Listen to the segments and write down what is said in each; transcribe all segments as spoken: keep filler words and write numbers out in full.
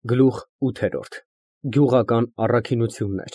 Գլուխ ութ Գյուղական առաքինություններ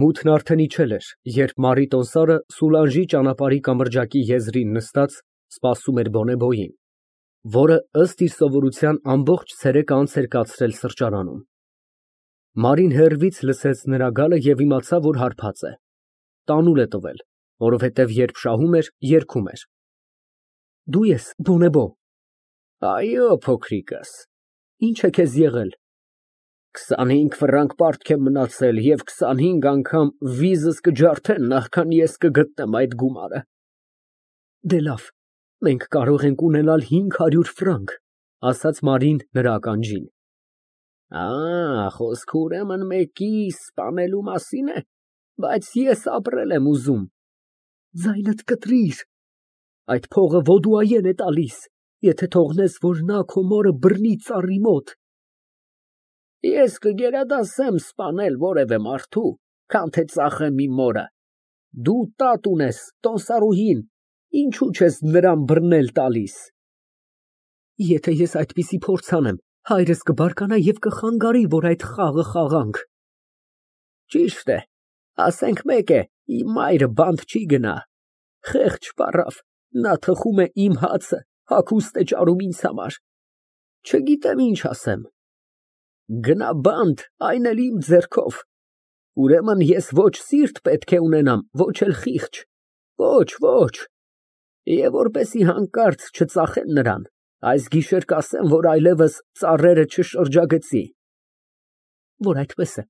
Մութն արդեն իջել էր, երբ Մարի տոմսարը Սուլանժի ճանապարհի կամրջակի եզրին նստած սպասում էր բոնեբոյին, որը, ըստ իր սովորության, ամբողջ ցերեկը անց էր կացրել սրճարանում։ Մարին հեռվից լսեց նրա գալը և իմացավ, որ հարբած է, տանուլ է տվել, որովհետև երբ շահում էր, երգում էր. Դու ես, բոնեբո։ Այո, փոքրիկս, ինչ է քեզ եղել։ Քսանհինգ ֆրանկ պարտք է մնացել և քսանհինգ անգամ վիզս կջարդեն, նախքան ես կգտնեմ այդ գումարը։ Դե լավ, մենք կարող ենք ունենալ հինգ հարյուր ֆրանկ, ասաց Մարին նրա ականջին։ Ա, խոսքը ուրեմն մեկի սպանելու մասին է, բայց ես ապրել եմ ուզում։ Ձայնդ կտրիր, այդ փողը Ոդուայեն է տալիս, եթե թողնես, որ նա քո մորը բռնի ծառի մոտ։ Ես կգերադասեմ սպանել որևէ մարդու, քան թե ծախեմ իմ մորը։ Դու տատ ունես, տոմսարուհին, ինչու չես նրան բռնել տալիս։ Եթե ես այդպիսի փորձ անեմ, հայրս կբարկանա և կխանգարի, որ այդ խաղը խաղանք։ Ճիշտ է, ասենք մեկ է, իմ մայրը բանտ չի գնա։ Խեղճ պառավ, նա թխում է իմ հացը, հագուստ է ճարում ինձ համար։ Չգիտեմ ինչ ասեմ։ Գնա բանտ, այն էլ իմ ձեռքով։ Ուրեմն ես ոչ սիրտ պետք է ունենամ, ոչ էլ խիղճ, ոչ, ոչ։ Եվ որպեսզի հանկարծ չծախեն նրան, այս գիշեր կասեմ, որ այլևս ծառերը չշրջագծի։ Որ այդպես է,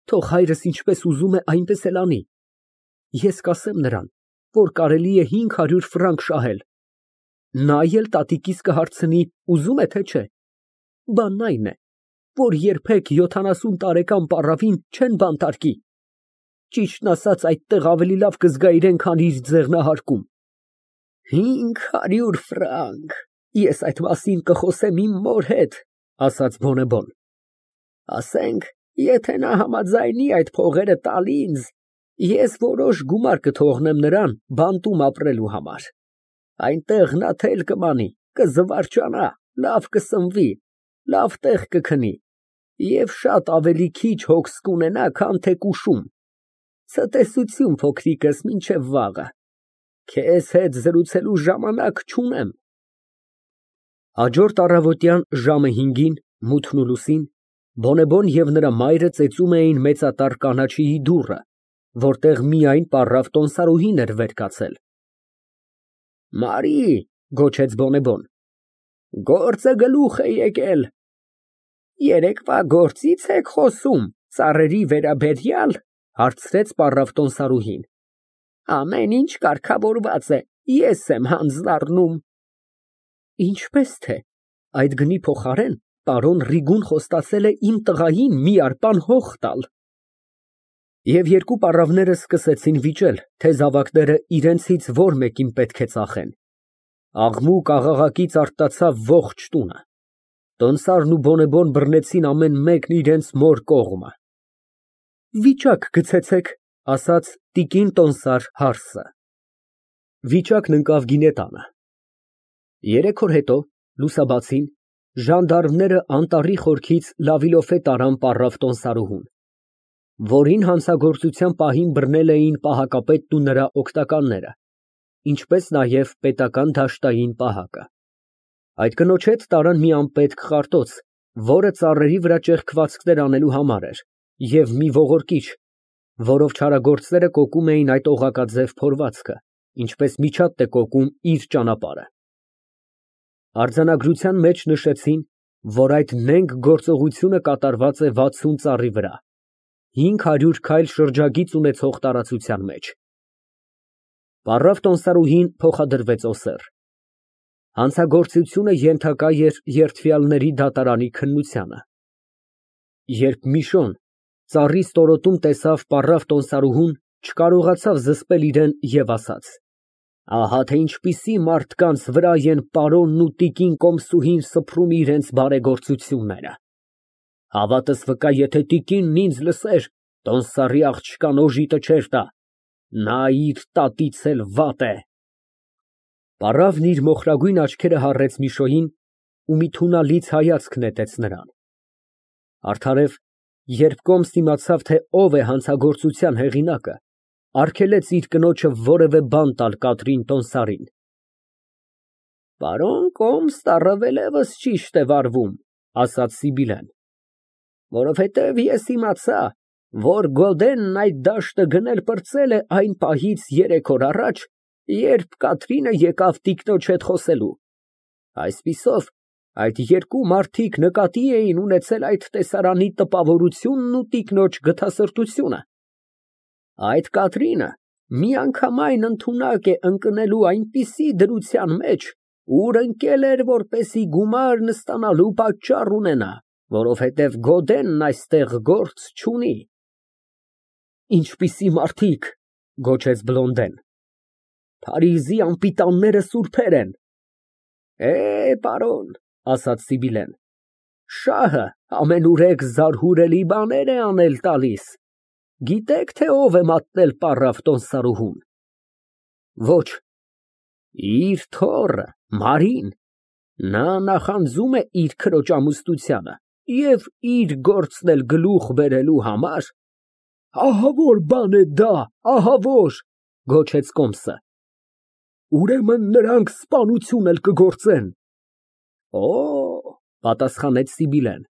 թող հայրս ինչպես ուզում է, այնպես էլ անի։ Ես կասեմ նրան, որ կարելի է հինգ հարյուր ֆրանկ շահել։ Նա էլ տատիկիս կհարցնի, ուզում է, թե չէ։ Բանն այն է, որ երբեք յոթանասուն տարեկան պառավին չեն բանտարկի։ Ճիշտն ասած, այդտեղ ավելի լավ կզգա իրեն, քան իր ձեղնահարկում։ Հինգ հարյուր ֆրանկ, ես այդ մասին կխոսեմ իմ մոր հետ, ասաց բոնեբոն։ Ասենք, եթե նա համաձայնի այդ փողերը տալ ինձ, ես որոշ գումար կթողնեմ նրան բանտում ապրելու համար։ Այնտեղ նա թել կմանի, կզվարճանա, լավ կսնվի, լավ տեղ կքնի և շատ ավելի քիչ հոգս կունենա, քան թե կուշում։ Ցտեսություն, փոքրիկս, մինչև վաղը։ Քեզ հետ զրուցելու ժամանակ չունեմ։ Հաջորդ առավոտյան ժամը հինգին, մութն ու լուսին, բոնեբոն և նրա մայրը ծեծում էին մեծատառ կանաչիի դուռը, որտեղ միայն պառավ տոմսարուհին էր վեր կացել։ Մարի, գոչեց բոնեբոն, գործը գլուխ է եկել։ Երեկվա գործի՞ց եք խոսում, ծառերի վերաբերյալ, հարցրեց պառավ տոմսարուհին։ Ամեն ինչ կարգավորված է, ես եմ հանձնառնում։ Ինչպես թե, այդ գնի փոխարեն պարոն Ռիգուն խոստացել է իմ տղային մի արպան հող տալ։ Եվ երկու պառավները սկսեցին վիճել, թե զավակները իրենցից որ մեկին պետք է ծախեն։ Աղմուկ֊աղաղակից արթնացավ ողջ տունը։ Տոմսարն ու բոնեբոն բռնեցին ամեն մեկն իրենց մոր կողմը։ Վիճակ գցեցեք, ասաց տիկին տոմսար հարսը։ Վիճակն ընկավ գինետանը։ Երեք օր հետո, լուսաբացին, ժանդարմները անտառի խորքից լավիլոֆե տարան պառավ տոմսարուհուն, որին հանցագործության պահին բռնել էին պահակապետն ու նրա օգնականները, ինչպես նաև պետական դաշտային պահակը։ Այդ կնոջ հետ տարան մի անպետք խարտոց, որը ծառերի վրա ճեղքվածքներ անելու համար էր, և մի ողորկիչ, որով չարագործները կոկում էին այդ օղակաձև փորվածքը, ինչպես միջատ է կոկում իր ճանապարհը։ Արձանագրության մեջ նշեցին, որ այդ նենգ գործողությունը կատարված է վաթսուն ծառի վրա, հինգ հարյուր քայլ շրջագիծ ունեցող տարածության մեջ։ Պառավ տոմսարուհին փոխադրվեց Օսեռ։ Հանցագործությունը ենթակա էր երդվյալների դատարանի քննությանը։ Երբ Միշոն ծառի ստորոտում տեսավ պառավ տոմսարուհուն, չկարողացավ զսպել իրեն և ասաց. Ահա թե ինչպիսի մարդկանց վրա են պարոնն ու տիկին կոմսուհին սփռում իրենց բարեգործությունները։ Հավատս վկա, եթե տիկինն ինձ լսեր, տոմսարի աղջկան օժիտը չէր տա, նա իր տատից էլ վատ է։ Պառավն իր մոխրագույն աչքերը հառեց Միշոյին ու մի թունալից հայացք նետեց նրան։ Արդարև, երբ կոմս իմացավ, թե ով է հանցագործության հեղինակը, արգելեց իր կնոջը որևէ բան տալ Կատրին Տոնսարին։ Պարոն կոմսն առավելևս ճիշտ է վարվում, ասաց Սիբիլեն, որովհետև ես իմացա, որ Գոդենն այդ դաշտը գնել֊պրծել է այն պահից երեք օր առաջ, երբ Կատրինը եկավ տիկնոջ հետ խոսելու։ Այսպիսով, այդ երկու մարդիկ նկատի էին ունեցել այդ տեսարանի տպավորությունն ու տիկնոջ գթասրտությունը։ Այդ Կատրինը միանգամայն ընդունակ է ընկնելու այնպիսի դրության մեջ, ուր ընկել էր, որպեսի գումարն ստանալու պատճառ ունենա, որովհետև Գոդենն այստեղ գործ չունի։ Ինչպիսի մարդիկ, գոչեց Բլոնդեն։ Փարիզի անպիտանները սուրբեր են։ Է, պարոն, ասաց Սիբիլեն, շահը ամենուրեք զարհուրելի բաներ է անել տալիս։ Գիտեք, թե ով է մատնել պառավ Տոնսարուհուն։ Ոչ։ Իր թոռը, Մարին, նա նախանձում է իր քրոջ ամուսնությանը և իր գործն էլ գլուխ բերելու համար։ Ահավոր բան է դա, ահավոր, գոչեց կոմսը։ Ուրեմն նրանք սպանություն էլ կգործեն։ Օ, պատասխանեց Սիբիլեն,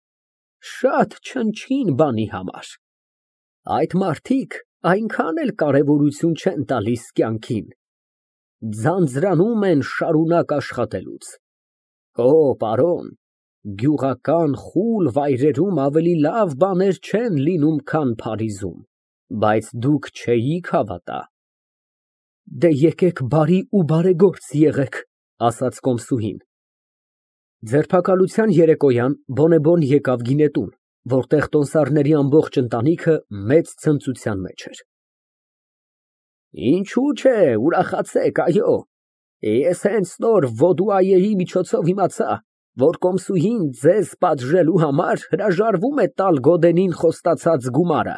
շատ չնչին բանի համար։ Այդ մարդիկ այնքան էլ կարևորություն չեն տալիս կյանքին, ձանձրանում են շարունակ աշխատելուց։ Օ, պարոն, գյուղական խուլ վայրերում ավելի լավ բաներ չեն լինում, քան Փարիզում, բայց դուք չէիք հավատա։ Դե եկեք բարի ու բարեգործ եղեք, ասաց կոմսուհին։ Ձերբակալության երեկոյան բոնեբոն եկավ գինետուն, որտեղ տոնսարների ամբողջ ընտանիքը մեծ ցնծության մեջ էր։ Ինչու՞ չէ, ուրախացեք, այո, ես հենց նոր Վոդուայեի միջոցով իմացա, որ կոմսուհին ձեզ պատժելու համար հրաժարվում է տալ Գոդենին խոստացած գումարը։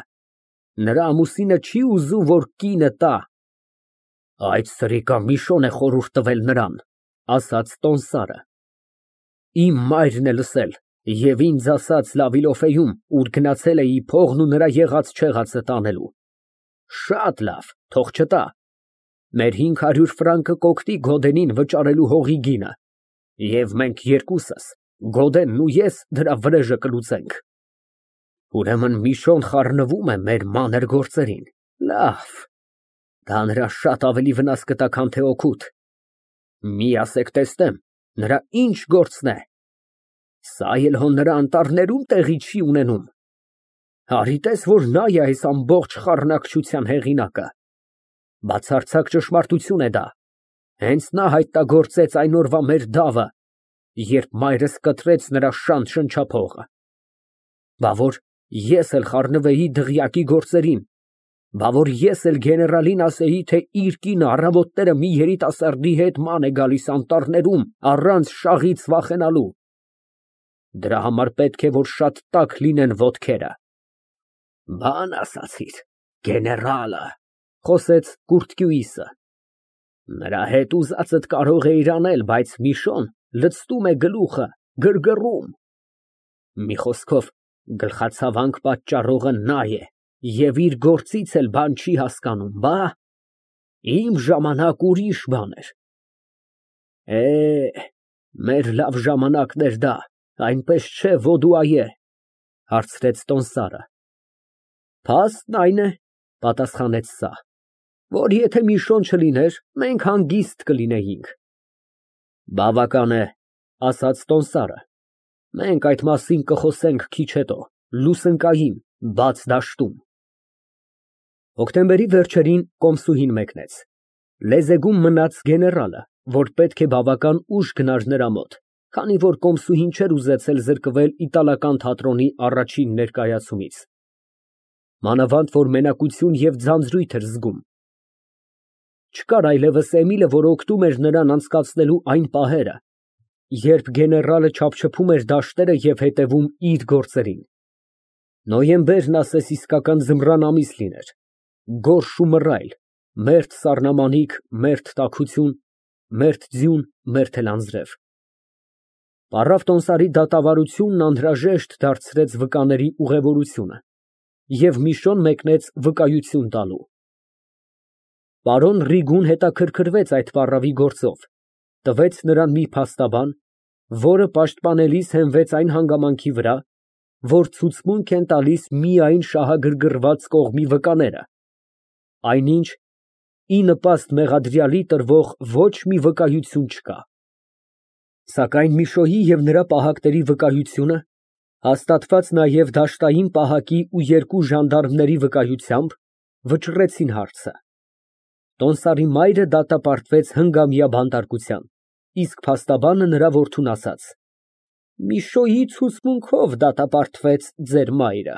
Նրա ամուսինը չի ուզում, որ կինը տա։ Այդ սրիկա Միշոն է խորհուրդ տվել նրան, ասաց տոնսարը։ Իմ մայրն է լսել և ինձ ասաց Լավիլոֆեում, ուր գնացել էի փողն ու նրա եղած֊չեղածը տանելու։ Շատ լավ, թող չտա։ Մեր հինգ հարյուր ֆրանկը կօգնի Գոդենին վճարելու հողի գինը, և մենք երկուսս, Գոդենն ու ես, դրա վրեժը կլուծենք։ Ուրեմն Միշոն խառնվում է մեր մանր գործերին։ Լավ, դա նրա շատ ավելի վնաս կտա, քան թե օգուտ։ Մի ասեք տեսնեմ, նրա ինչ գործն է։ Սա էլ հո նրա անտառներում տեղի չի ունենում։ Արի տես, որ նա է այս ամբողջ խառնակչության հեղինակը։ Բացարձակ ճշմարտություն է դա։ Հենց նա հայտնագործեց այն օրվա մեր դավը, երբ մայրս կտրեց նրա շանտ շնչափողը։ Բա որ ես էլ խառնվեի դղյակի գործերին, բա որ ես էլ գեներալին ասեի, թե իր կինը առավոտները մի երիտասարդի հետ ման է գալիս անտառներում, առանց շաղից վախենալու։ Դրա համար պետք է, որ շատ տաք լինեն ոտքերը։ Բան ասացիր, գեներալը, խոսեց Կուրտկյուիսը։ Նրա հետ ուզածդ կարող էիր անել, բայց Միշոն լցնում է գլուխը, գրգռում։ Մի խոսքով, գլխացավանք պատճառողը նա է և իր գործից էլ բան չի հասկանում, բա իմ ժամանակ ուրիշ բան էր։ Է, մեր լավ ժամանակն էր դա, այնպես չէ Վոդուայե, հարցրեց տոնսարը։ Փաստն այն է, պատասխանեց սա, որ եթե Միշոն չլիներ, մենք հանգիստ կլինեինք։ Բավական է, ասաց տոնսարը, մենք այդ մասին կխոսենք քիչ հետո, լուսնկային, բաց դաշտում։ Հոկտեմբերի վերջերին կոմսուհին մեկնեց։ Լեզեգում մնաց գեներալը, որ պետք է բավական ուշ գնար նրա մոտ, քանի որ կոմսուհին չէր ուզեցել զրկվել իտալական թատրոնի առաջին ներկայացումից։ Մանավանդ, որ մենակություն և ձանձրույթ էր զգում։ Չկար այլևս Էմիլը, որ օգնում էր նրան անցկացնելու այն պահերը, երբ գեներալը չափչփում էր դաշտերը և հետևում իր գործերին։ Նոյեմբերն ասես իսկական ձմռան ամիս լիներ, գորշ ու մռայլ, մերթ սառնամանիք, մերթ տաքություն, մերթ ձյուն, մերթ էլ անձրև։ Առավ տոմսարի դատավարությունն անհրաժեշտ դարձրեց վկաների ուղևորությունը և Միշոն մեկնեց վկայություն տալու։ Պարոն Ռիգուն հետաքրքրվեց այդ պառավի գործով, տվեց նրան մի փաստաբան, որը պաշտպանելիս հենվեց այն հանգամանքի վրա, որ ցուցմունք են տալիս միայն շահագրգռված կողմի վկաները, այնինչ ի նպաստ մեղադրյալի տրվող ոչ մի վկայություն չկա։ Սակայն Միշոյի և նրա պահակների վկայությունը, հաստատված նաև դաշտային պահակի ու երկու ժանդարմների վկայությամբ, վճռեցին հարցը։ Տոմսարի մայրը դատապարտվեց հնգամյա բանտարկության, իսկ փաստաբանը նրա որդուն ասաց. «Միշոյի ցուցմունքով դատապարտվեց ձեր մայրը»։